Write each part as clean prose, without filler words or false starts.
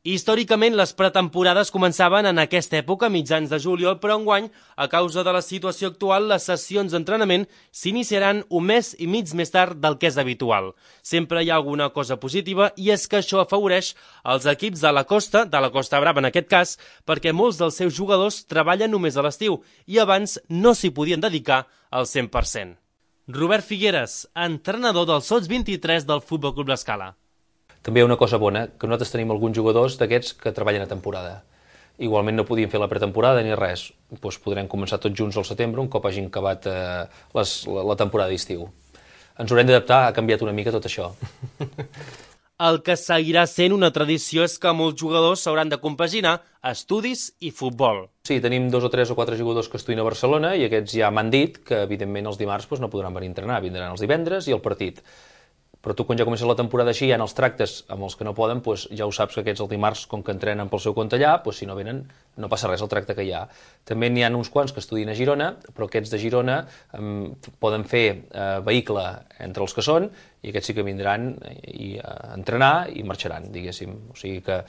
Històricament, les pretemporades començaven en aquesta època, mitjans de juliol, però enguany, a causa de la situació actual, les sessions d'entrenament s'iniciaran un mes i mig més tard del que és habitual. Sempre hi ha alguna cosa positiva i és que això afavoreix els equips de la Costa Brava en aquest cas, perquè molts dels seus jugadors treballen només a l'estiu i abans no s'hi podien dedicar al 100%. Robert Figueres, entrenador del Sots 23 del Futbol Club L'Escala. També hi ha una cosa bona, que nosaltres tenim alguns jugadors d'aquests que treballen a temporada. Igualment no podien fer la pretemporada ni res. Doncs podrem començar tots junts al setembre, un cop hagin acabat la temporada d'estiu. Ens haurem d'adaptar, ha canviat una mica tot això. El que seguirà sent una tradició és que molts jugadors s'hauran de compaginar estudis i futbol. Sí, tenim 2 o 3 o 4 jugadors que estudien a Barcelona i aquests ja m'han dit que, evidentment, els dimarts no podran venir a entrenar, vindran els divendres i el partit. Però tu, quan ja comences la temporada així, hi ha els tractes amb els que no poden, ja ho saps que aquests el dimarts, com que entrenen pel seu compte allà, si no venen, no passa res el tracte que hi ha. També n'hi ha uns quants que estudien a Girona, però aquests de Girona poden fer vehicle entre els que són, i aquests sí que vindran a entrenar i marxaran, diguéssim. O sigui que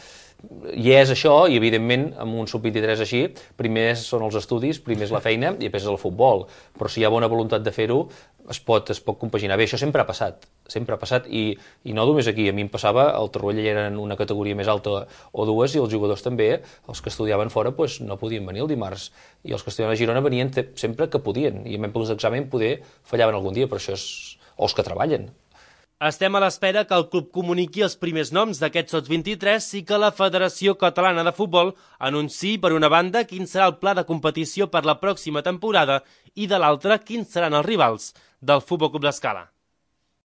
hi és això, i evidentment, amb un sub-23 així, primer són els estudis, primer és la feina i després és el futbol. Però si hi ha bona voluntat de fer-ho, es pot compaginar bé. Això sempre ha passat i no només aquí. A mi em passava, al Torroella ja eren una categoria més alta o dues i els jugadors també, els que estudiaven fora, no podien venir el dimarts. I els que estudiaven a Girona venien sempre que podien. I en plens d'examen poder fallaven algun dia, però això és... o els que treballen. Estem a l'espera que el club comuniqui els primers noms d'aquests Sots 23 i que la Federació Catalana de Futbol anunciï, per una banda, quin serà el pla de competició per la pròxima temporada i, de l'altra, quins seran els rivals del Futbol Club L'Escala.